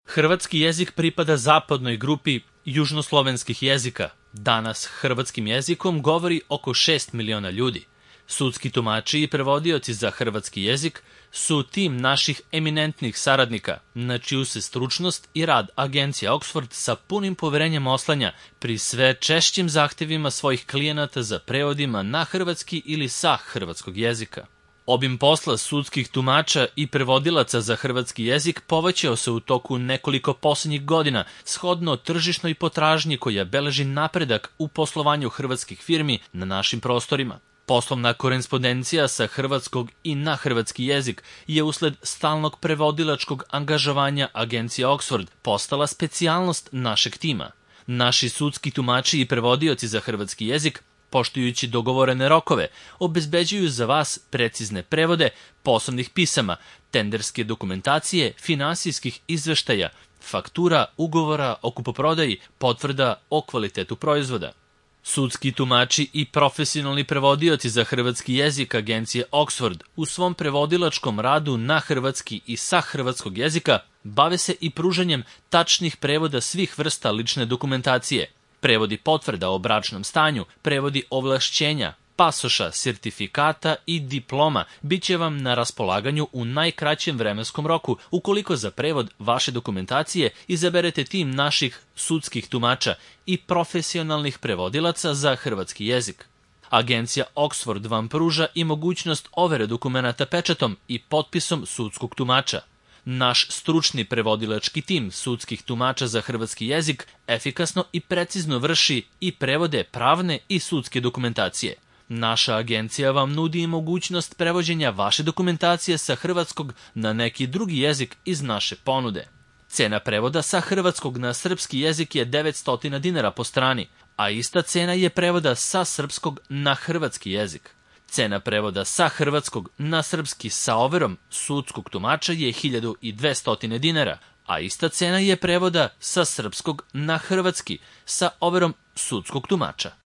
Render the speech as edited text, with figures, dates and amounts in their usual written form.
Hrvatski jezik pripada zapadnoj grupi južnoslovenskih jezika. Danas hrvatskim jezikom govori oko 6 miliona ljudi. Sudski tumači i prevodioci za hrvatski jezik su tim naših eminentnih saradnika, na čiju se stručnost i rad agencija Oxford sa punim poverenjem oslanja pri sve češćim zahtevima svojih klijenata za prevodima na hrvatski ili sa hrvatskog jezika. Obim posla sudskih tumača i prevodilaca za hrvatski jezik povećao se u toku nekoliko posljednjih godina shodno tržišnoj potražnji koja beleži napredak u poslovanju hrvatskih firmi na našim prostorima. Poslovna korespondencija sa hrvatskog i na hrvatski jezik je usled stalnog prevodilačkog angažovanja agencije Oxford postala specijalnost našeg tima. Naši sudski tumači i prevodioci za hrvatski jezik, poštujući dogovorene rokove, obezbeđuju za vas precizne prevode poslovnih pisama, tenderske dokumentacije, finansijskih izveštaja, faktura, ugovora o kupoprodaji, potvrda o kvalitetu proizvoda. Sudski tumači i profesionalni prevodioci za hrvatski jezik agencije Oxford u svom prevodilačkom radu na hrvatski i sa hrvatskog jezika bave se i pružanjem tačnih prevoda svih vrsta lične dokumentacije, prevodi potvrda o bračnom stanju, prevodi ovlašćenja, pasoša, sertifikata i diploma bit će vam na raspolaganju u najkraćem vremenskom roku ukoliko za prevod vaše dokumentacije izaberete tim naših sudskih tumača i profesionalnih prevodilaca za hrvatski jezik. Agencija Oxford vam pruža i mogućnost overe dokumenata pečatom i potpisom sudskog tumača. Naš stručni prevodilački tim sudskih tumača za hrvatski jezik efikasno i precizno vrši i prevode pravne i sudske dokumentacije. Naša agencija vam nudi i mogućnost prevođenja vaše dokumentacije sa hrvatskog na neki drugi jezik iz naše ponude. Cena prevoda sa hrvatskog na srpski jezik je 900 dinara po strani, a ista cena je prevoda sa srpskog na hrvatski jezik. Cena prevoda sa hrvatskog na srpski sa overom sudskog tumača je 1200 dinara, a ista cena je prevoda sa srpskog na hrvatski sa overom sudskog tumača.